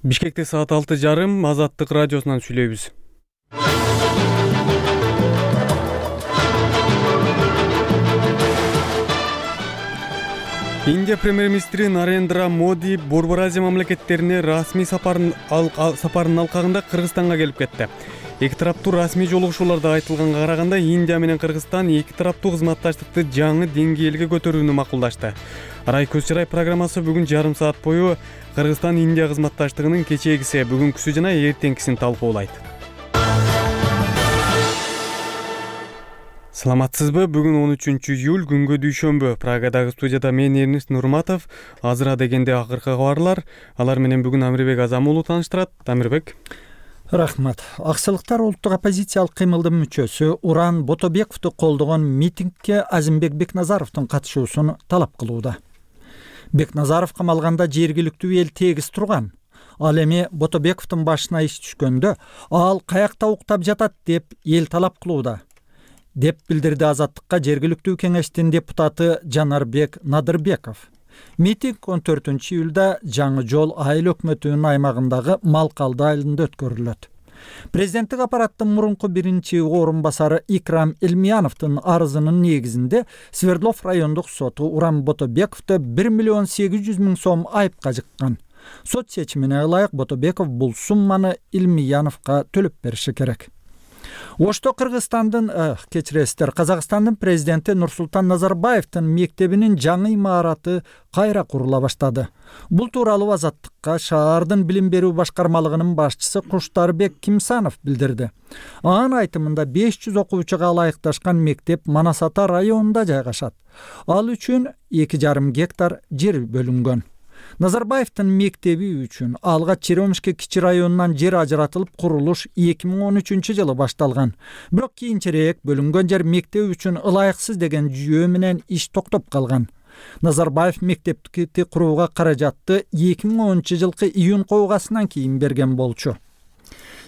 Бишкекте саат 6:30 Азаттык радиосунан сүйлөйбүз. Индия премьер-министри Нарендра Моди Борбор Азия мамлекеттерине расмий сапарынын алкагында Кыргызстанга келип кетти. Эки тараптуу расмий жолугушууларда айтылганга караганда Индия менен Кыргызстан эки тараптуу кызматташтыкты жаңы деңгээлге көтөрүүнү макулдашты. Арай көз чырай программасы бүгүн жарым саат бою Кыргызстан-Индия кызматташтыгынын кечээгиси, бүгүнкүсү жана эртеңкисин талкуулайт. Саламатсызбы? Бүгүн 13-июль күнгө дүйшөмбү. Прагадагы студияда мен Эрнест Нурматов. Азыра дегенде акыркы кабарлар. Алар менен бүгүн Амирбек Азам уулу тааныштырат. Амирбек. Рахмат. Аксылыктар улуттук оппозициялык кыймылдын мүчөсү Уран Ботобековду колдогон митингге Азимбек Бекназаровдун катышуусун талап кылууда. Бекназаров камалганда жергиликтүү эл тегиз турган. Ал эми Ботобековдун башына иш түшкөндө ал каякта уктап жатат деп эл талап кылууда, деп билдирди Азаттыкка жергиликтүү кеңештин депутаты Жанарбек Надырбеков. Митинг 14-июлда Жаңы жол айыл өкмөтүнүн аймагындагы Малкалды айылында өткөрүлөт. Президенттик аппараттын мурунку биринчи орун басары Икрам Элмияновдун арызынын негизинде Свердлов райондук соту Уран Ботобековду 1 800 000 сом айыпка жыккан. Сот чечимине ылайык Ботобеков бул сумманы Элмияновго төлөп бериши керек. Ошто Казакстандын президенти Нурсултан Назарбаевдин мектебинин жаңы имараты кайра курула баштады. Бул тууралуу Азаттыкка шаардын билим берүү башкармалыгынын башчысы Куштарбек Кимсанов билдирди. Анын айтымында 500 окуучуга ылайыкташкан мектеп Манас Ата районунда жайгашат. Ал үчүн 2,5 гектар жер бөлүнгөн. Назарбаевдин мектеби үчүн алга Черемушка кичи районунан жер ажыратылып курулуш 2013-жылы башталган. Бирок кийинчерээк бөлүнгөн жер мектеп үчүн ылайыксыз деген жүйө менен иш токтоп калган. Назарбаев мектепти курууга каражатты 2010-жылкы июнь койгасынан кийин берген болчу.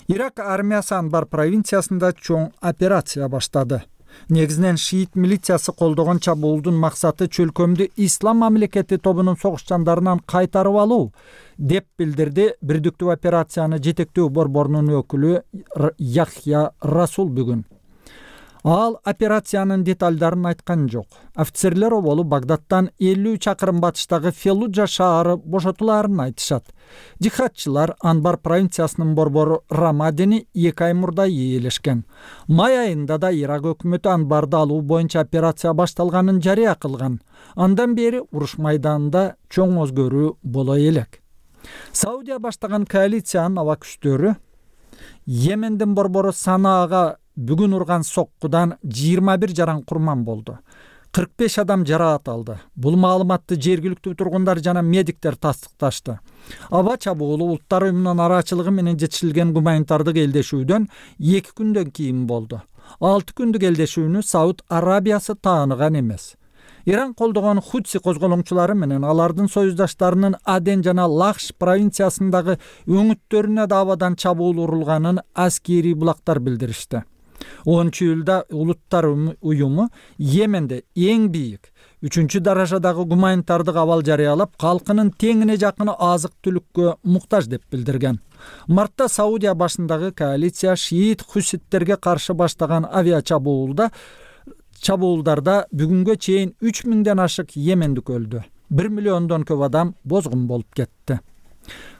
Ирак армиясы Анбар провинциясында чоң операция баштады. Негизинен шиит милициясы колдогон чабуулдун максаты чөлкөмдү Ислам мамлекети тобунун согушчандарынан кайтарып алуу, деп билдирди бирдиктүү операцияны жетектөө борборунун өкүлү Яхья Расул бүгүн. Ал операциянын деталдарын айткан жок. Офицерлер оболу Багдадтан 50 чакырым батыштагы Феллуджа шаары бошотуларын айтышат. Жихадчылар Анбар провинциясынын борбору Рамадини 2 ай мурда ээлешкен. Май айында да Ирак өкмөтү Анбарды алуу боюнча операция башталганын жарыя кылган. Андан бери уруш майданында чоң өзгөрүү боло элек. Саудия баштаган коалициянын аба күчтөрү Йемендин борбору Санаага бүгүн урган соккудан 21 жаран курман болду. 45 адам жараат алды. Бул маалыматты жергиликтүү тургундар жана медиктер тастыкташты. Аба чабуулу Улуттар уюмунун арачылыгы менен жетишилген гуманитардык элдешүүдөн 2 күндөн кийин болду. 6 күндүк элдешүүнү Сауд Арабиясы тааныган эмес. Иран колдогон Хутси козголоңчулары менен алардын союздаштарынын Аден жана Лахш провинциясындагы өңүттөрүнө да абадан чабуул урулганын аскери булактар билдиришти. 10-июлда Улуттар уюму Йеменде эң бийик 3-даражадагы гуманитардык абал жарыялап, калкынын теңине жакыны азык-түлүккө муктаж деп билдирген. Мартта Саудия башындагы коалиция шиит хуситтерге каршы баштаган чабуулдарда бүгүнгө чейин 3000ден ашык йемендик өлдү. 1 миллиондон көп адам бозгун болуп кетти.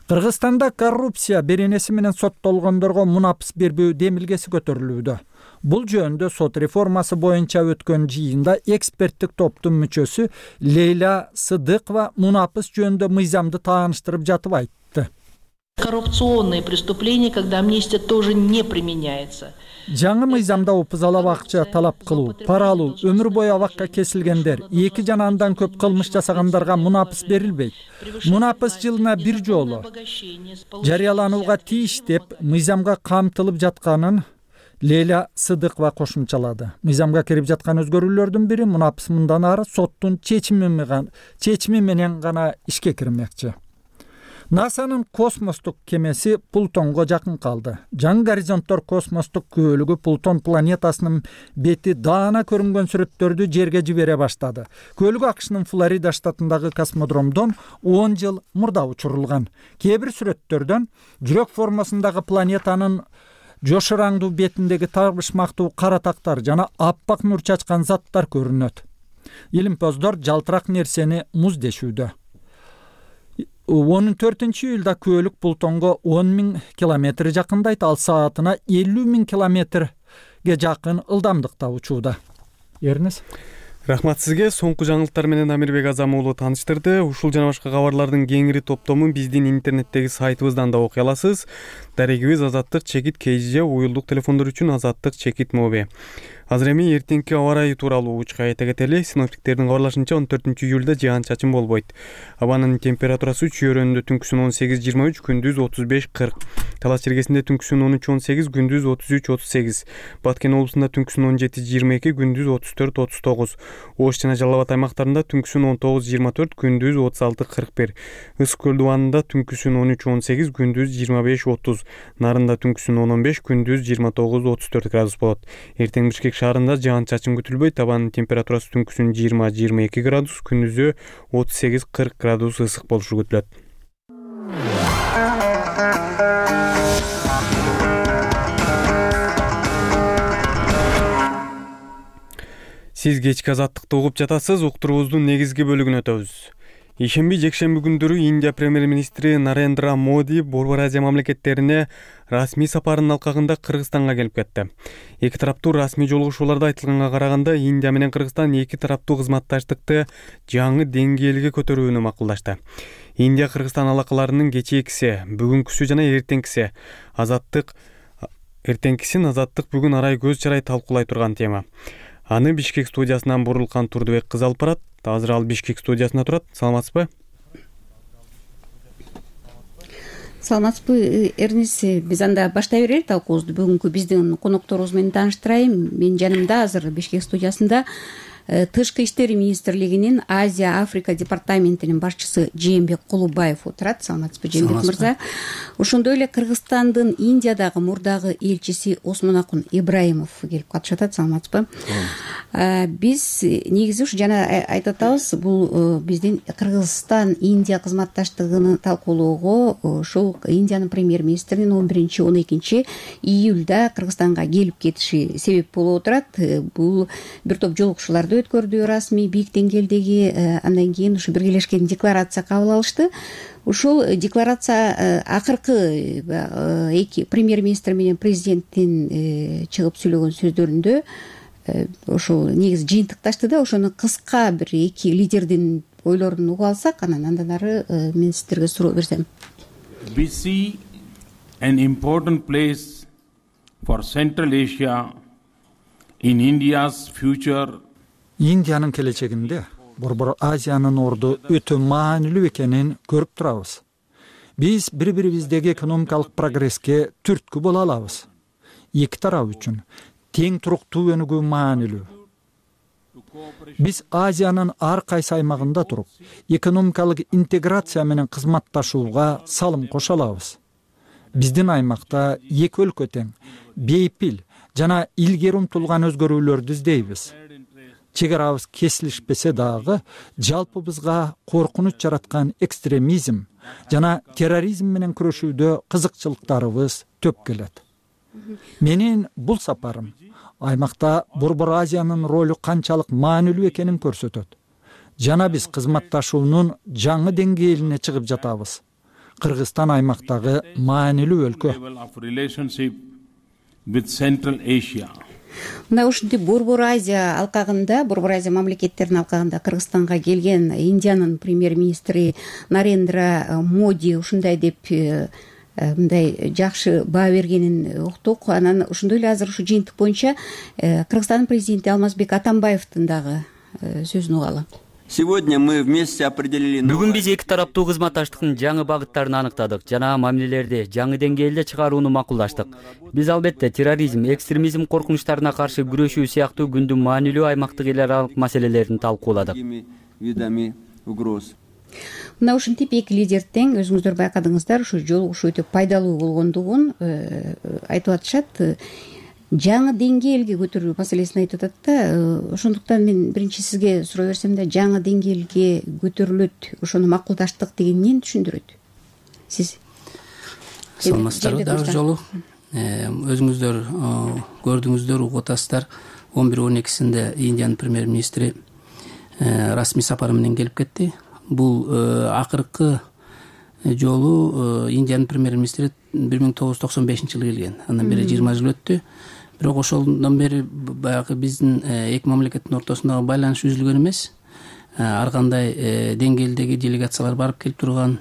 Кыргызстанда коррупция беренеси менен соттолгондорго мунапыс бербөө демилгеси көтөрүлүүдө. Бул жөнүндө сот реформасы боюнча өткөн жыйында эксперттик топтун мүчөсү Лейла Сыдыкова мунапыс жөнүндө мыйзамды тааныштырып жатып айтты. Коррупционные преступления, когда амнистия тоже не применяется. Жаңы мыйзамда опузалап акча талап кылуу, пара алуу, өмүр бою абакка кесилгендер, 2 жана андан көп кылмыш жасагандарга мунапыс берилбейт. Мунапыс жылына 1 жолу жарыяланууга тийиш деп мыйзамга камтылып жатканын Лейла Сыдыкова кошумчалады. Мыйзамга кирип жаткан өзгөрүүлөрдүн бири мунапыс мындан ары соттун чечими менен гана ишке кирмекчи. НАСАнын космостук кемеси Плутонго жакын калды. Жаңы горизонттор космостук күбөлүгү Плутон планетасынын бети даана көрүнгөн сүрөттөрдү жерге жибере баштады. Күбөлүк АКШнын Флорида штатындагы космодромдон 10 жыл мурда учурулган. Кээ бир сүрөттөрдөн жүрөк формасындагы планетанын жошураңдуу бетиндеги табышмактуу кара тактар жана аппак нур чачкан заттар көрүнөт. Илимпоздор жалтырак нерсени муз дешүүдө. 14-июлда күбөлүк Плутонго 10.000 километр жакындайт, ал саатына 50.000 километрге жакын ылдамдыкта учууда. Эрнес. Рахмат сизге. Соңку жаңылыктар менен Амирбек Азам уулу тааныштырды. Ушул жана башка кабарлардын кеңири топтомун биздин интернеттеги сайтыбыздан да окуй аласыз. Дарегибиз Азаттык чекит КЖ, уюлдук телефондор үчүн Азаттык чекит моби. Азыр эми эртеңки аба ырайы тууралуу учка айта кетели. Синоптиктердин кабарлашынча 14-июлда жаан-чачын болбойт. Абанын температурасы чөйрөндө түнкүсүн 18-23, күндүз 35-40. Талас чергесинде түнкүсүн 13-18, күндүз 33-38. Баткен облусунда түнкүсүн 17-22, күндүз 34-39. Ош жана Жалал Абад аймактарында түнкүсүн 19-24, күндүз 36-41. Ысык көл дубанында түнкүсүн 13-18, күндүз 25-30. Нарында түнкүсүн 10-15, күндүз 29-34 градус болот. Эртең Бишкек шаарында жаан-чачын күтүлбөйт. Абанын температурасы түнкүсүн 20-22 градус, күндүзү 38-40 градус ысык болушу күтүлөт. Сиз кечки Азаттыкты угуп жатасыз. Уктуруубуздун негизги бөлүгүнө өтөбүз. Ишемби, жекшемби күндөрү Индия премьер-министри Нарендра Моди Борбор Азия мамлекеттерине расмий сапарынын алкагында Кыргызстанга келип кетти. Эки тараптуу расмий жолугушууларда айтылганга караганда, Индия менен Кыргызстан эки тараптуу кызматташтыкты жаңы деңгээлге көтөрүүнү макулдашты. Индия Кыргызстан алакаларынын кечээкиси, бүгүнкүсү жана эртеңкиси Азаттык бүгүн арай көз чарай талкуулай турган тема. Аны Бишкек студиясынан Бурулкан Турдубек кыз алып барат. Азыр ал Бишкек студиясында турат. Саламатсызбы? Саламатсызбы, Эрнис. Биз анда баштай берели талкуубузду. Бүгүнкү биздин конокторубуз менен тааныштырайын. Менин жанымда азыр Бишкек студиясында Тышкы иштер министрлигинин Азия Африка департаментинин башчысы Жээнбек Кулубаев отурат. Саламатсызбы, Жээнбек мырза. Ошондой эле Кыргызстандын Индиядагы мурдагы элчиси Осмонакун Ибраимов келип катышат. Саламатсызбы? Биз негизи ушу жана айтып атабыз, бул биздин Кыргызстан Индия кызматташтыгын талкуулоого ушул Индиянын премьер-министринин 11-12 июлда Кыргызстанга келип кетиши себеп болуп отурат. Бул бир топ жолугушууларды өткөрдү, расмий бийик деңгээлдеги. Андан кийин ушу биргелешкен декларация кабыл алышты. Ушул декларация акыркы эки премьер-министр менен президенттин чыгып сүйлөгөн сөздөрүндө ошол негизи жыйынтыкташты да. Ошону кыска бир эки лидердин ойлорун угуп алсак, андан ары мен сиздерге суроо берсем. We see an important place for Central Asia in India's future. Индиянын келечегинде Борбор Азиянын орду өтө маанилүү экенин көрүп турабыз. Биз бири-бирибиздеги экономикалык прогресске түрткү боло алабыз. Эки тарап үчүн тең туруктуу өнүгүү маанилүү. Биз Азиянын ар кайсы аймагында туруп, экономикалык интеграция менен кызматташууга салым кошо алабыз. Биздин аймакта эки өлкө тең, бейпил жана илгери умтулган өзгөрүүлөрдү издейбиз. Чек арабыз кесилишпесе дагы, жалпыбызга коркунуч жараткан экстремизм жана терроризм менен күрөшүүдө кызыкчылыктарыбыз төп келет. Менин бул сапарым аймакта Борбор Азиянын ролу канчалык маанилүү экенин көрсөтөт. Жана биз кызматташуунун жаңы деңгээлине чыгып жатабыз. Кыргызстан аймактагы маанилүү өлкө. Мына ушинтип Борбор Азия алкагында, Борбор Азия мамлекеттеринин алкагында Кыргызстанга келген Индиянын премьер-министри Нарендра Моди ушундай деп мындай жакшы баа бергенин уктук. Анан ошондой эле азыр ушу жыйынтык боюнча Кыргызстандын президенти Алмазбек Атамбаевдин дагы сөзүн угалы. Сегодня мы вместе определили. Бүгүн биз эки тараптуу кызматташтыктын жаңы багыттарын аныктадык жана мамилелерди жаңы деңгээлде чыгарууну макулдаштык. Биз албетте терроризм, экстремизм коркунучтарына каршы күрөшүү сыяктуу күндүн маанилүү аймактык эл аралык маселелерин талкууладык. мына ушинтип эки лидер тең. Өзүңүздөр байкадыңыздар, ушу жолугушуу өтө пайдалуу болгондугун айтып атышат. Жаңы деңгээлге көтөрүү маселесин айтып атат да. Ошондуктан мен биринчи сизге сурай берсем да, жаңы деңгээлге көтөрүлөт, ошону макулдаштык деген эмнени түшүндүрөт? Сиз саламатсыздарбы дагы жолу. Өзүңүздөр көрдүңүздөр, угуп атасыздар. 11-12-синде Индиянын премьер-министри расмий сапары менен келип кетти. Бул акыркы жолу Индиянын премьер-министри 1995-жылы келген. Андан бери 20 жыл өттү. Бирок ошондон бери баягы биздин эки мамлекеттин ортосундагы байланыш үзүлгөн эмес. Ар кандай деңгээлдеги делегациялар барып келип турган,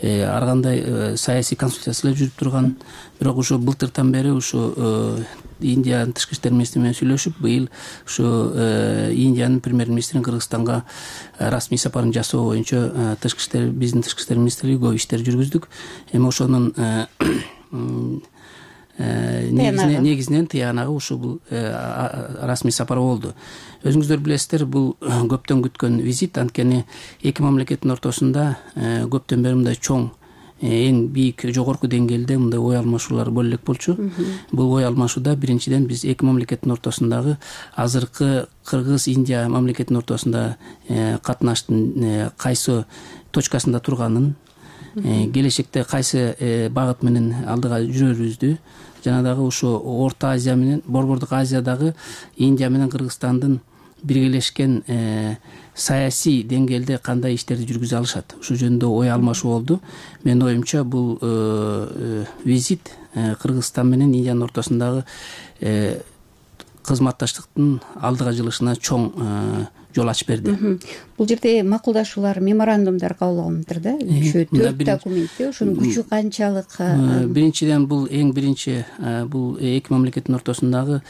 ар кандай саясий консультациялар жүрүп турган. Бирок ошо былтыртан бери ошо Индиянын тышкы иштер министри менен сүйлөшүп, быйыл ошо Индиянын премьер-министринин Кыргызстанга расмий сапарын жасоо боюнча биздин тышкы иштер министрлиги көп иштер жүргүздүк. Эми ошонун негизинен тыянагы ушу бул расмий сапар болду. Өзүңүздөр билесиздер, бул көптөн күткөн визит. Анткени эки мамлекеттин ортосунда көптөн бери мындай чоң, эң бийик, жогорку деңгээлде мындай ой алмашуулар боло элек болчу. Бул ой алмашууда биринчиден биз эки мамлекеттин ортосундагы азыркы Кыргыз-Индия мамлекеттин ортосунда катнаштын кайсы точкасында турганын, келечекте кайсы багыт менен алдыга жүрөрүбүздү, жана дагы ошо Орто Азия менен Борбордук Азиядагы Индия менен Кыргызстандын биргелешкен саясий деңгээлде кандай иштерди жүргүзө алышат, ушул жөнүндө ой алмашуу болду. Менин оюмча бул визит Кыргызстан менен Индиянын ортосундагы кызматташтыктын алдыга жылышына чоң жол ачып берди. Бул жерде макулдашуулар, меморандумдар кабыл алыныптыр да. Төрт документ. Ошонун күчү канчалык? Биринчиден бул эң биринчи бул эки мамлекеттин ортосундагы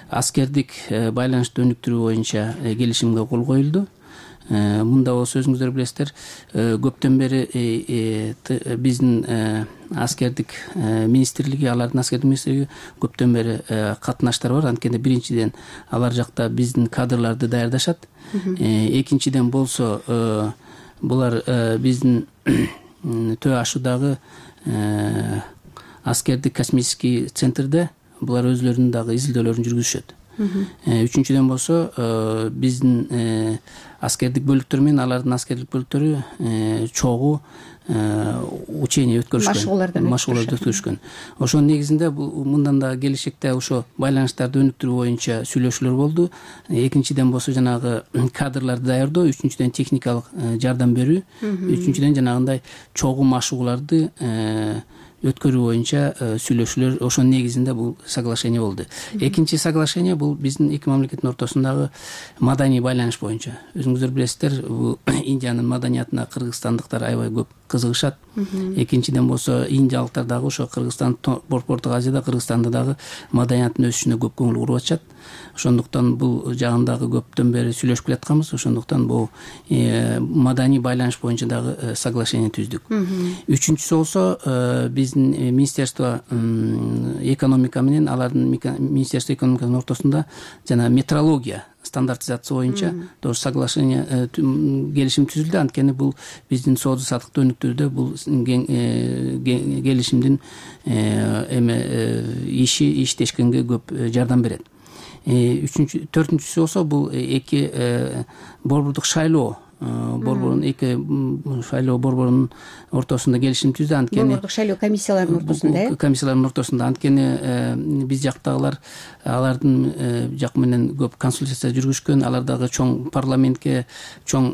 аскердик байланышты өнүктүрүү боюнча келишимге кол коюлду. Мында болсо өзүңүздөр билесиздер, көптөн бери биздин аскердик министрлиги, алардын аскердик министрлиги көптөн бери катнаштар бар. Анткени биринчиден алар жакта биздин кадрларды даярдашат. Экинчиден болсо булар биздин Төө Ашуудагы аскердик космический центрде булар өзлөрүнүн дагы изилдөөлөрүн жүргүзүшөт. Үчүнчүдөн болсо биздин аскердик бөлүктөр менен алардын аскердик бөлүктөрү чогуу учение өткөрүшкөн, машыгууларды өткөрүшкөн. Ошонун негизинде мындан да келечекте ошо байланыштарды өнүктүрүү боюнча сүйлөшүүлөр болду. Экинчиден болсо жанагы кадрларды даярдоо, үчүнчүдөн техникалык жардам берүү, үчүнчүдөн жанагындай чогуу машыгууларды өткөрүү боюнча сүйлөшүүлөр, ошонун негизинде бул соглашение болду. Экинчи соглашение бул биздин эки мамлекеттин ортосундагы маданий байланыш боюнча. Өзүңүздөр билесиздер, бул Индиянын маданиятына кыргызстандыктар аябай көп кызыгышат. Экинчиден болсо индиялыктар дагы ошо Кыргызстан, Борбордук Азияда Кыргызстандын дагы маданияттын өсүшүнө көп көңүл буруп атышат. Ошондуктан бул жагындагы көптөн бери сүйлөшүп келатканбыз. Ошондуктан бул маданий байланыш боюнча дагы соглашение түздүк. Үчүнчүсү болсо биздин Министерство экономика менен алардын Министерство экономиканын ортосунда жана метрология стандартизация боюнча тоже соглашение, келишим түзүлдү. Анткени бул биздин соода саттыкты өнүктүрүүдө бул келишимдин иштешкенге көп жардам берет. Төртүнчүсү болсо бул эки борбордук шайлоо борборунун эки шайлоо борборунун ортосунда келишим түздү. Анткени борбордук шайлоо комиссияларынын ортосунда, комиссиялардын ортосунда. Анткени биз жактагылар алардын жак менен көп консультация жүргүзүшкөн, алар дагы чоң парламентке чоң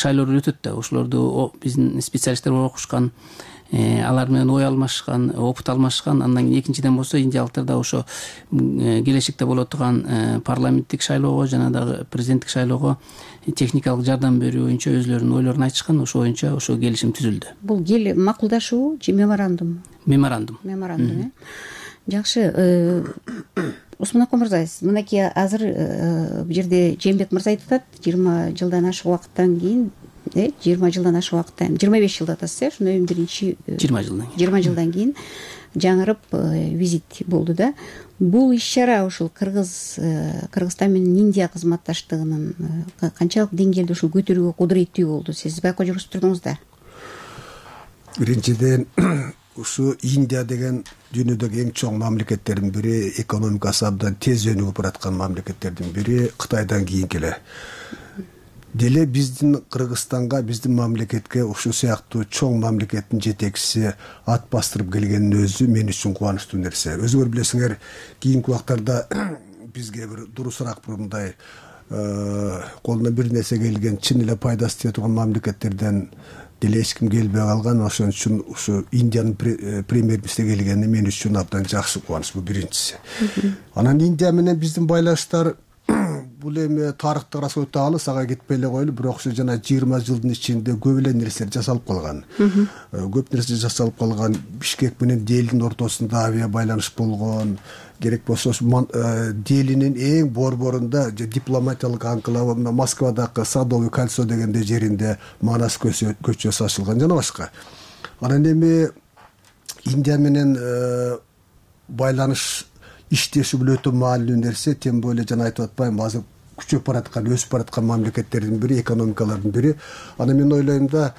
шайлоолор өтөт да. Ошолорду биздин специалисттер окушкан, алар менен ой алмашкан, опыт алмашкан. Андан кийин экинчиден болсо индиялыктар да ошо келечекте боло турган парламенттик шайлоого жана дагы президенттик шайлоого техникалык жардам берүү боюнча өзлөрүнүн ойлорун айтышкан. Ошо боюнча ошо келишим түзүлдү. Бул макулдашуу же меморандум? Меморандум. Жакшы. Усман ака мырза, мынакей азыр бул жерде Жээнбек мырза айтып атат, 20 жылдан ашык убакыттан кийин 20 жылдан ашык убакыттан 25 жылда атасыз ошондон кийин биринчи 20 жылдан кийин жаңырып визит болду да. Бул иш-чара ушул Кыргызстан менен Индия кызматташтыгынын канчалык деңгээлде ушул көтөрүүгө кудуреттүү болду? Сиз байкоо жүргүзүп турдуңуз да. Биринчиден ушу Индия деген дүйнөдөгү эң чоң мамлекеттердин бири, экономикасы абдан тез өнүгүп бараткан мамлекеттердин бири, Кытайдан кийин келе. Деле биздин Кыргызстанга, биздин мамлекетке ушул сыяктуу чоң мамлекеттин жетекчиси ат бастырып келгенин өзү мен үчүн кубанычтуу нерсе. Өзүңөр билесиңер, кийинки убактарда бизге бир дурусураак мындай колуна бир нерсе келген, чын эле пайдасы тие турган мамлекеттерден деле эч ким келбей калган. Ошон үчүн ушу Индиянын премьер-министри келгени мен үчүн абдан жакшы кубаныч, бул биринчиси. Анан Индия менен биздин байланыштар бул эми тарыхтык расчет алыс, ага кетпей эле коелу, бирок ушу жана 20 жылдын ичинде көп эле нерселер жасалып калган. Көп нерсе жасалып калган. Бишкек менен Делинин ортосунда авиа байланыш болгон. Керек болсо Делинин эң борборунда дипломатиялык анклав, Москвадагы Садовый кольцо дегенде жеринде Манас көчөсү ачылган жана башка. Анан эми Индия менен байланыш иштеши бул өтө маанилүү нерсе. Тем более жана айтып атпайм, азыр күчөп бараткан, өсүп бараткан мамлекеттердин бири, экономикалардын бири. Анан мен ойлойм да,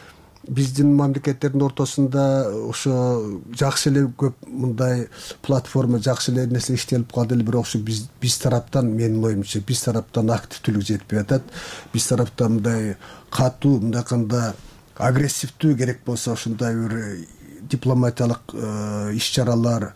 биздин мамлекеттердин ортосунда ошо жакшы эле көп мындай платформа, жакшы эле нерсе иштелип калды эле, бирок ошо биз тараптан, менин оюмча, биз тараптан активдүүлүк жетпей атат. Биз тараптан мындай катуу, мындайканда агрессивдүү, керек болсо ошондой бир дипломатиялык иш-чаралар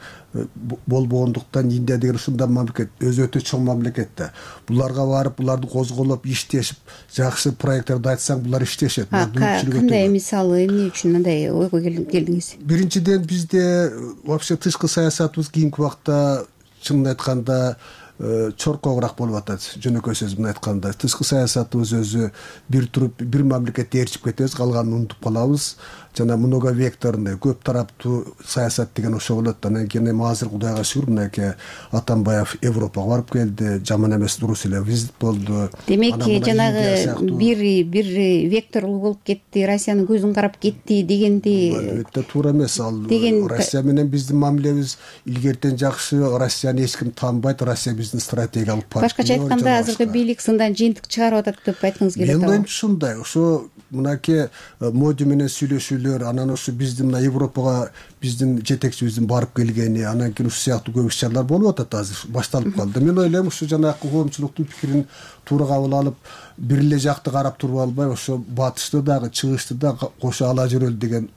болбогондуктан Индия деген ушундай мамлекет, өзү өтө чоң мамлекет да. Буларга барып, буларды козголоп, иштешип, жакшы проекттарды айтсаң, булар иштешет. Кандай мисалы, эмне үчүн андай ойго келдиңиз? Биринчиден, бизде вообще тышкы саясатыбыз кийинки убакта чынын айтканда чоркогураак болуп атат. Жөнөкөй сөз менен айтканда, тышкы саясатыбыз өзү бир мамлекетте ээрчип кетебиз, калганын унутуп калабыз. Жана многовекторный, көп тараптуу саясат деген ошо болот. Анан кийин эми азыр Кудайга шүгүр, мынакей Атамбаев Европага барып келди, жаман эмес, дурус эле визит болду. Демек, жанагы бир векторлуу болуп кетти, Россиянын көзүн карап кетти дегенди. Өтө туура эмес. Ал Россия менен биздин мамилебиз илгертен жакшы. Россияны эч ким таанбайт, Россия биздин стратегиялык партнер. Башкача айтканда, азыркы бийлик сындан жыйынтык чыгарып атат деп айткыңыз келет. Мен оюмча ушундай. Ошо мынакей Моди менен сүйлөшүүлөр, анан ошо биздин мына Европага биздин жетекчибиздин барып келгени, анан кийин ушул сыяктуу көп иш-чаралар болуп атат, азыр башталып калды. Мен ойлойм, ушу жанагы коомчулуктун пикирин туура кабыл алып, бир эле жакты карап туруп албай, ошо батышты дагы, чыгышты да кошо ала жүрөлү деген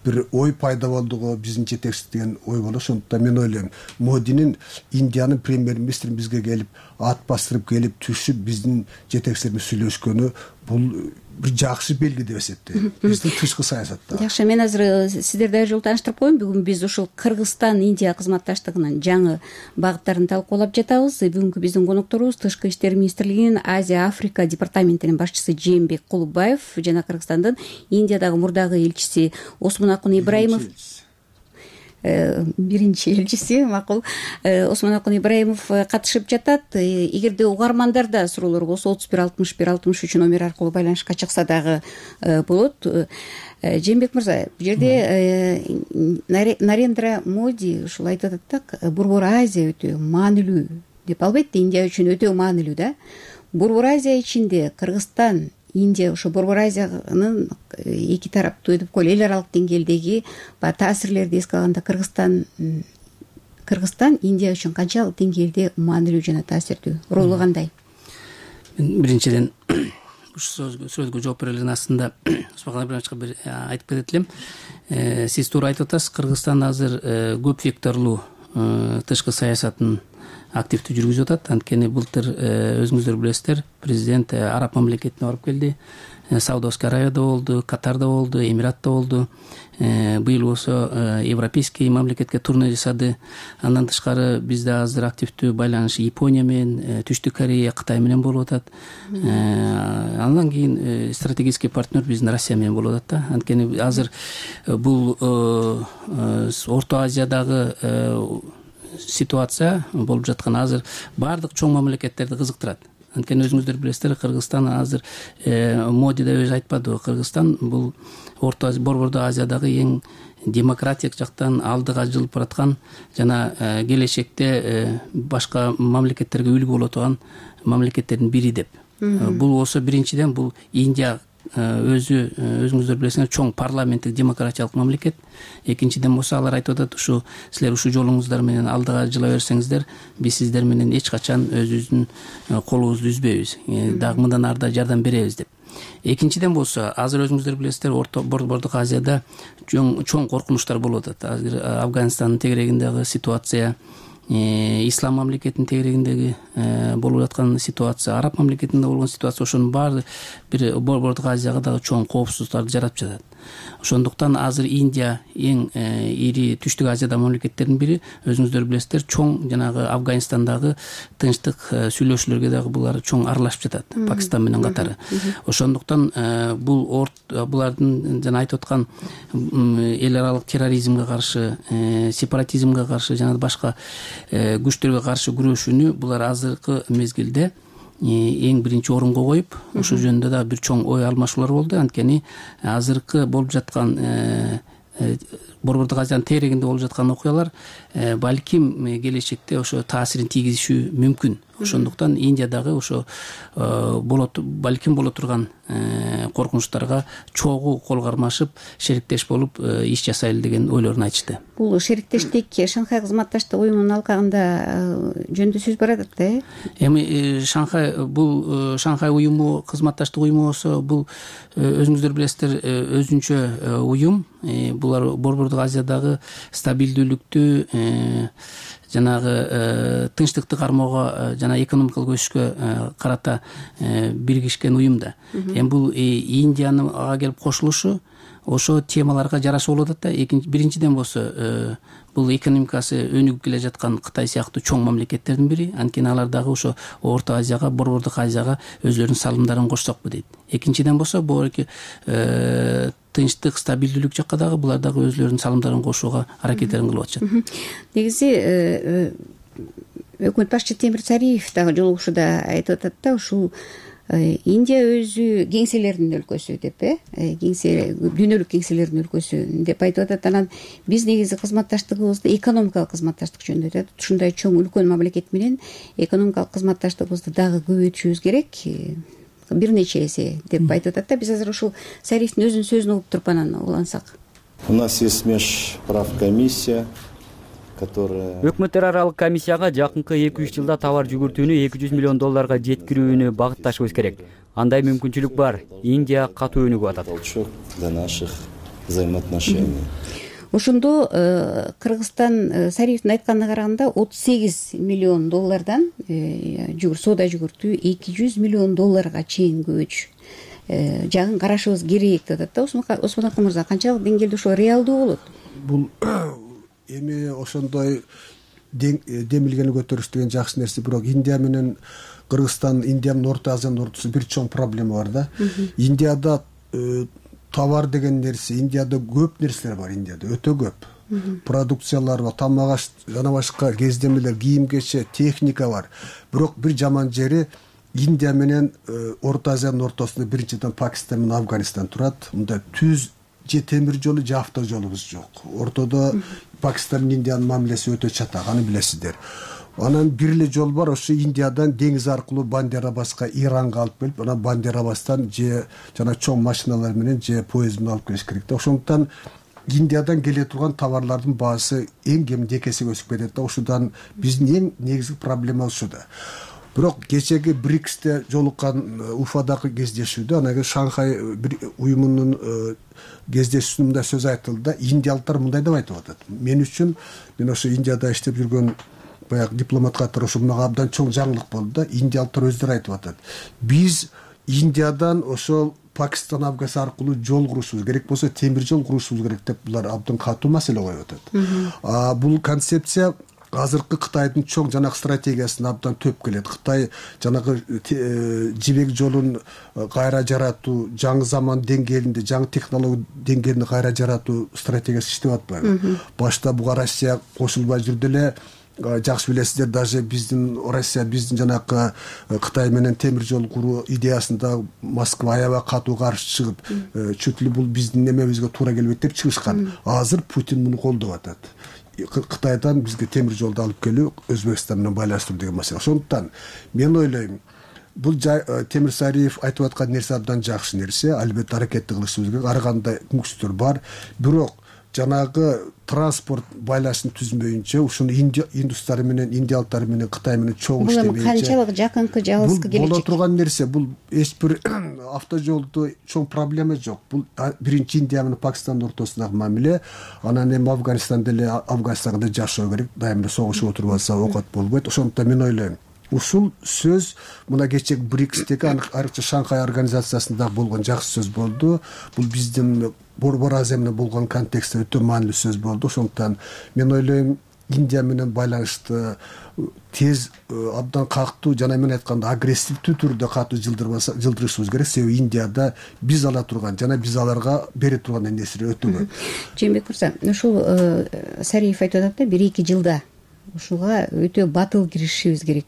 бир ой пайда болду го, биздин жетекчи деген ой болду. Ошондуктан мен ойлойм, Модинин, Индиянын премьер-министри бизге келип, ат бастырып келип, түшүп, биздин жетекчилер менен сүйлөшкөнү, бул бир жакшы белги деп эсептейм биздин тышкы саясатта. Жакшы, мен азыр сиздерди ар жолу тааныштырып коеюн. Бүгүн биз ушул Кыргызстан-Индия кызматташтыгынын жаңы багыттарын талкуулап жатабыз. Бүгүнкү биздин конокторубуз Тышкы иштер министрлигинин Азия Африка департаментинин башчысы Жээнбек Кулубаев жана Кыргызстандын Индиядагы мурдагы элчиси Осмонакун Ибраимов. Биринчи элчиси, макул, Осмонакун Ибраимов катышып жатат. Эгерде угармандарда суроолор болсо 31 номер аркылуу байланышка чыкса дагы болот. Жээнбек мырза, бул жерде Нарендра Моди ушул айтып атат да, Борбор Азия өтө маанилүү деп, албетте Индия үчүн өтө маанилүү да. Борбор Азия ичинде Кыргызстан, Индия, ошо Борбор Азиянын эки тараптуу деп коелу, эл аралык деңгээлдеги таасирлерди эске алганда Кыргызстан Индия үчүн канчалык деңгээлде маанилүү жана таасирдүү, ролу кандай? Биринчиден ушул сөзгө жооп берелин, астында Осмонакун Ибраимовичка бир айтып кетет элем. Сиз туура айтып атасыз, Кыргызстан азыр көп векторлуу тышкы саясатын активдүү жүргүзүп атат. Анткени былтыр өзүңүздөр билесиздер, президент араб мамлекетине барып келди. Саудовский Аравияда болду, Катарда болду, Эмиратта болду. Быйыл болсо европейский мамлекетке турне жасады. Андан тышкары бизде азыр активдүү байланыш Япония менен, Түштүк Корея, Кытай менен болуп атат. Андан кийин стратегический партнер биздин Россия менен болуп атат да. Анткени азыр бул Орто Азиядагы ситуация болуп жаткан азыр баардык чоң мамлекеттерди кызыктырат. Анткени өзүңүздөр билесиздер, Кыргызстан азыр Моди да өзү айтпадыбы, Кыргызстан бул Борбордуу Азиядагы эң демократиялык жактан алдыга жылып бараткан жана келечекте башка мамлекеттерге үлгү боло турган мамлекеттердин бири деп. Бул болсо биринчиден бул Индия өзүңүздөр билесиңер чоң парламенттик демократиялык мамлекет. Экинчиден болсо алар айтып атат, ушу силер ушу жолуңуздар менен алдыга жыла берсеңиздер, биз сиздер менен эч качан өзүбүздүн колубузду үзбөйбүз, дагы мындан ары да жардам беребиз деп. Экинчиден болсо азыр өзүңүздөр билесиздер, Борбордук Азияда чоң коркунучтар болуп атат. Азыр Афганистандын тегерегиндеги ситуация, ислам мамлекетинин тегерегиндеги болуп аткан ситуация, араб мамлекетинде болгон ситуация, ошонун баары бир Борбордук Азияга дагы чоң коопсуздуктарды жаратып жатат. Ошондуктан азыр Индия эң ири Түштүк Азияда мамлекеттердин бири. Өзүңүздөр билесиздер, чоң жанагы Афганистандагы тынчтык сүйлөшүүлөргө дагы булар чоң аралашып жатат, Пакистан менен катары. Ошондуктан булардын жана айтып аткан эл аралык терроризмге каршы, сепаратизмге каршы жана башка күчтөргө каршы күрөшүүнү булар азыркы мезгилде эң биринчи орунга коюп, ошол жөнүндө да бир чоң ой алмашуулар болду. Анткени азыркы болуп жаткан Борбордук Азиянын тегерегинде болуп жаткан окуялар балким келечекте ошо таасирин тийгизиши мүмкүн. Ошондуктан Индия дагы ошо балким боло турган коркунучтарга чогуу кол кармашып, шериктеш болуп иш жасайлы деген ойлорун айтышты. Бул шериктештик Шанхай кызматташтык уюмунун алкагында жөнүндө сөз барат да. Эми Шанхай уюму, кызматташтык уюму болсо, бул өзүңүздөр билесиздер, өзүнчө уюм. Булар Борбордук Азиядагы стабилдүүлүктү, жанагы тынчтыкты кармоого жана экономикалык өсүшкө карата биригишкен уюм да. Эми бул Индиянын ага келип кошулушу ошо темаларга жараша болуп атат да. Биринчиден болсо бул экономикасы өнүгүп келе жаткан Кытай сыяктуу чоң мамлекеттердин бири. Анткени алар дагы ошо Орто Азияга, Борбордук Азияга өзлөрүнүн салымдарын кошсокпу дейт. Экинчиден болсо бул тынчтык, стабилдүүлүк жакка дагы булар дагы өзлөрүнүн салымдарын кошууга аракеттерин кылып атышат. Негизи өкмөт башчы Темир Цариев дагы жолугушууда айтып атат да, ушул Индия өзү кеңселердин өлкөсү деп, дүйнөлүк кеңселердин өлкөсү деп айтып атат. Анан биз негизи кызматташтыгыбызды экономикалык кызматташтык жөнүндө айтат. Ушундай чоң үлкөн мамлекет менен экономикалык кызматташтыгыбызды дагы көбөйтүшүбүз керек, бир нече эсе деп айтып атат да. Биз азыр ушул Цариевдин өзүнүн сөзүн угуп туруп анан улансак. У нас есть межправкомиссия, Өкмөттөр аралык комиссияга жакынкы 2-3 жылда товар жүгүртүүнү $200 миллион жеткирүүнү багытташыбыз керек. Андай мүмкүнчүлүк бар. Индия катуу өнүгүп атат. Для наших взаимоотношений. Ошондо Кыргызстан Цариевдин айтканына караганда $38 миллион соода жүгүртүү $200 миллион чейин көбөйтүш жагын карашыбыз керек деп атат да. Осмон Акын мырза, канчалык деңгээлде ошо реалдуу болот? Бул эми ошондой демилгени көтөрүш деген жакшы нерсе, бирок Индия менен Кыргызстан, Индия менен Орто Азиянын ортосунда бир чоң проблема бар да. Индияда товар деген нерсе, Индияда көп нерселер бар, Индияда өтө көп. Продукциялар бар, тамак аш, жана башка кездемелер, кийим кече, техника бар. Бирок бир жаман жери Индия менен Орто Азиянын ортосунда биринчиден Пакистан менен Афганистан турат. Мында түз же темир жолу же авто жолубуз жок. Ортодо Пакистан менен Индиянын мамилеси өтө чатак, аны билесиздер. Анан бир эле жол бар, ошо Индиядан деңиз аркылуу Бандер-Аббаска, Иранга алып келип, анан Бандер-Аббастан же жана чоң машиналар менен же поезд менен алып келиш керек да. Ошондуктан Индиядан келе турган товарлардын баасы эң кеминде 2 эсеге өсүп кетет да. Ошондон биздин эң негизги проблемабыз ушуда. Бирок кечеги БРИКСте жолуккан Уфадагы кездешүүдө, анан кийин Шанхай уюмунун кездешүүсүндө сөз айтылды да, индиялыктар мындай деп айтып атат. Мен үчүн, мен ошо Индияда иштеп жүргөн баягы дипломат катары ошо мага абдан чоң жаңылык болду да. Индиялыктар өздөрү айтып атат. Биз Индиядан ошол Пакистан, Афганистан аркылуу жол курушубуз керек болсо, темир жол курушубуз керек деп булар абдан катуу маселе коюп атат. Бул концепция азыркы Кытайдын чоң жанагы стратегиясына абдан төп келет. Кытай жанагы жибек жолун кайра жаратуу, жаңы заман деңгээлинде, жаңы технология деңгээлинде кайра жаратуу стратегиясы иштеп атпайбы? Башта буга Россия кошулбай жүрдү эле, жакшы билесиздер, даже биздин Россия биздин жанакы Кытай менен темир жол куруу идеясында Москва аябай катуу каршы чыгып, чөт эле бул биздин немебизге туура келбейт деп чыгышкан. Азыр Путин муну колдоп атат. Кытайдан бизге темир жолду алып келүү, Өзбекстан менен байланыштыруу деген маселе. Ошондуктан мен ойлойм, бул Темир Сариев айтып аткан нерсе абдан жакшы нерсе, албетте аракетти кылышыбыз керек. Ар кандай мүмкүнчүлүктөр бар. Бирок жанагы транспорт байланышын түзмөйүнчө, ушуну индустары менен, индиялыктар менен, Кытай менен чоң иштебейинче. Бул канчалык жакынкы жалгыз келечек? Бул боло турган нерсе. Бул эч бир автожолдо чоң проблема жок. Бул биринчи Индия менен Пакистандын ортосундагы мамиле. Анан эми Афганистанда эле, Афганистанда жашоо керек. Дайыма согушуп отуруп атса окат болбойт. Ошондуктан мен ойлойм, ушул сөз мына кечээ БРИКСтеги, айрыкча Шанхай организациясында болгон жакшы сөз болду. Бул биздин Борбор Азия менен болгон контекстте өтө маанилүү сөз болду. Ошондуктан мен ойлойм, Индия менен байланышты тез, абдан катуу, жана мен айтканда агрессивдүү түрдө катуу жылдырышыбыз керек. Себеби Индияда биз ала турган жана биз аларга бере турган нерселер өтө көп. Жээнбек мырза, ушул Сариев айтып атат да, 1-2 жылда ушуга өтө батыл киришишибиз керек.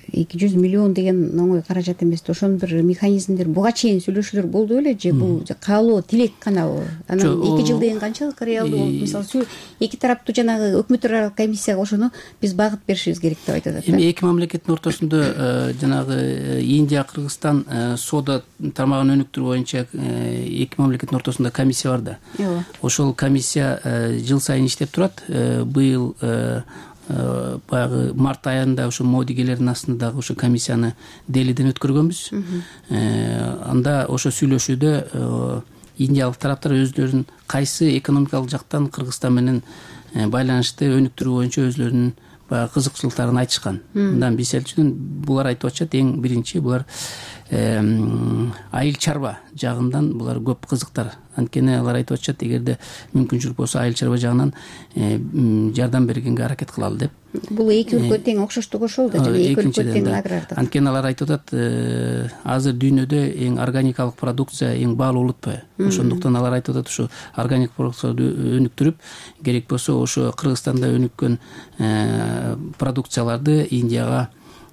200 миллион деген оңой каражат эмес. Ошонун бир механизмдер буга чейин сүйлөшүүлөр болду беле же бул каалоо, тилек канабы? Анан 2 жыл деген канчалык реалдуу болду? Мисалы, эки тараптуу жанагы өкмөттөр аралык комиссияга ошону биз багыт беришибиз керек деп айтып атат. Эми эки мамлекеттин ортосунда жанагы Индия, Кыргызстан соода тармагын өнүктүрүү боюнча эки мамлекеттин ортосунда комиссия бар да. Ошол комиссия жыл сайын иштеп турат. Быйыл баягы март айында ошо модигелердин астында ошо комиссияны Делиден өткөргөнбүз. Анда ошо сүйлөшүүдө индиялык тараптар өздөрүнүн кайсы экономикалык жактан Кыргызстан менен байланышты өнүктүрүү боюнча өзлөрүнүн баягы кызыкчылыктарын айтышкан. Мындан мисалы булар айтып атышат, эң биринчи булар айыл чарба жагынан булар көп кызыктар. Анткени алар айтып атышат, эгерде мүмкүнчүлүк болсо айыл чарба жагынан жардам бергенге аракет кылалы деп. Бул эки өлкө тең окшоштугу ошол да, жана эки өлкө тең агрардык. Анткени алар айтып атат, азыр дүйнөдө эң органикалык продукция эң баалуу улутпайбы? Ошондуктан алар айтып атат, ушу органик продукцияны өнүктүрүп, керек болсо ошо Кыргызстанда өнүккөн продукцияларды Индияга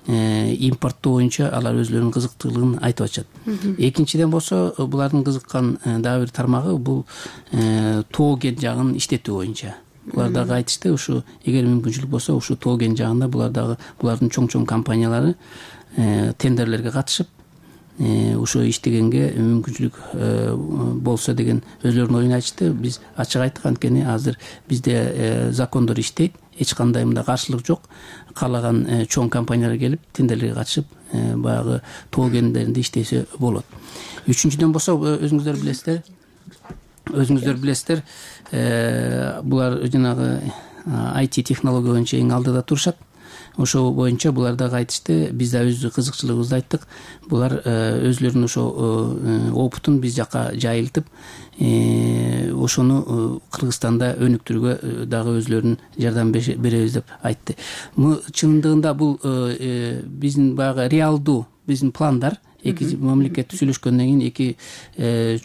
импорттоо боюнча алар өзлөрүнүн кызыктуулугун айтып атышат. Экинчиден болсо булардын кызыккан дагы бир тармагы бул тоо кен жагын иштетүү боюнча. Булар дагы айтышты, ушу эгер мүмкүнчүлүк болсо ушу тоо кен жагында булардын чоң компаниялары тендерлерге катышып ошо иштегенге мүмкүнчүлүк болсо деген өзлөрүнүн оюн айтышты. Биз ачык айттык, анткени азыр бизде закондор иштейт, эч кандай мында каршылык жок. Каалаган чоң компаниялар келип тендерлерге катышып баягы тоо кендеринде иштесе болот. Үчүнчүдөн болсо өзүңүздөр билесиздер, булар жанагы IT технология боюнча эң алдыда турушат. Ошол боюнча булар дагы айтышты, биз да өз кызыкчылыгыбызды айттык. Булар өзлөрүнүн ошо опытун биз жака жайылтып, ошону Кыргызстанда өнүктүрүүгө дагы өзлөрүнүн жардам беребиз деп айтты. Чындыгында бул биздин баягы реалдуу биздин пландар. Эки мамлекет сүйлөшкөндөн кийин, эки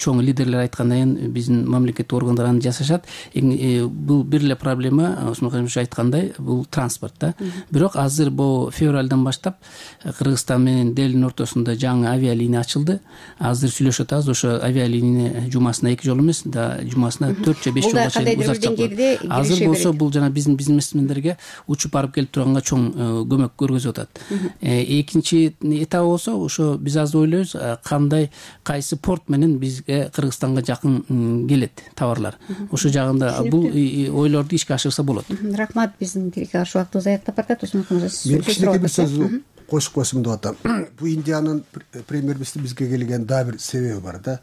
чоң лидерлер айткандан кийин биздин мамлекеттик органдар аны жасашат. Бул бир эле проблема, Осмонкалиев айткандай, бул транспорт да. Бирок азыр бул февралдан баштап Кыргызстан менен Делинин ортосунда жаңы авиалиния ачылды. Азыр сүйлөшүп атабыз, ошо авиалиния жумасына 2 жол эмес, да жумасына 4 же 5 жолго чейин узартып. Азыр болсо бул жана биздин бизнесмендерге учуп барып келип турганга чоң көмөк көргөзүп атат. Экинчи этабы болсо ошо биз ойлойбуз, кандай кайсы порт менен бизге Кыргызстанга жакын келет товарлар. Ошо жагында бул ойлорду ишке ашырса болот. Рахмат, биздин каршы убактыбыз аяктап барат. Мен кичинекей бир сөз кошуп койсом деп атам. Бул Индиянын премьер-министри бизге келген дагы бир себеби бар да.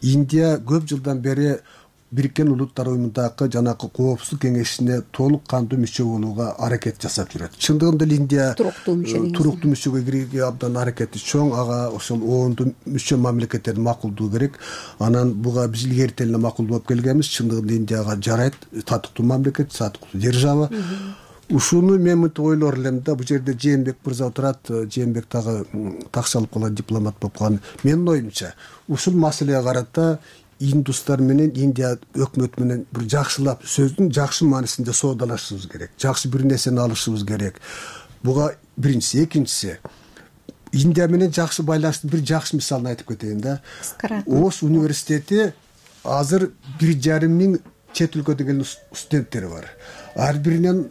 Индия көп жылдан бери Бириккен Улуттар Уюмундагы жанакы коопсуздук кеңешине толук кандуу мүчө болууга аракет жасап жүрөт. Чындыгында Индия туруктуу мүчөгө кирүүгө абдан аракети чоң. Ага ошол оондун мүчө мамлекеттердин макулдугу керек. Анан буга биз илгерти эле макул болуп келгенбиз. Чындыгында Индияга жарайт, татыктуу мамлекет, татыктуу держава. Ушуну мен мынтип ойлор элем да, бул жерде Жээнбек мырза отурат, Жээнбек дагы такшалып калган дипломат болуп калган. Менин оюмча, ушул маселеге карата индустар менен Индия өкмөтү менен бир жакшылап сөздүн жакшы маанисинде соодалашышыбыз керек, жакшы бир нерсени алышыбыз керек. Буга биринчиси. Экинчиси, Индия менен жакшы байланыштын бир жакшы мисалын айтып кетейин да. Ош университети азыр 1,5 миң чет өлкөдөн келген студенттери бар. Ар биринен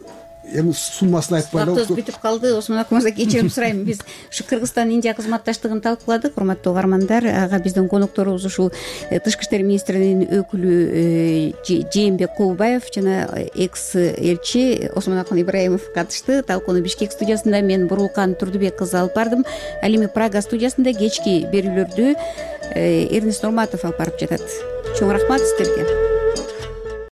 эми суммасын айтпай эле бүтүп калды. Осмон акымыздан кечирим сурайм. Биз ушу Кыргызстан Индия кызматташтыгын талкууладык. Урматтуу угармандар, ага биздин конокторубуз ушул Тышкы иштер министринин өкүлү Жээнбек Кулбаев жана экс элчи Осмон Акын Ибраимов катышты. Талкууну Бишкек студиясында мен Бурулкан Турдубек кызы алып бардым. Ал эми Прага студиясында кечки берүүлөрдү Эрнест Нурматов алып барып жатат. Чоң рахмат сиздерге.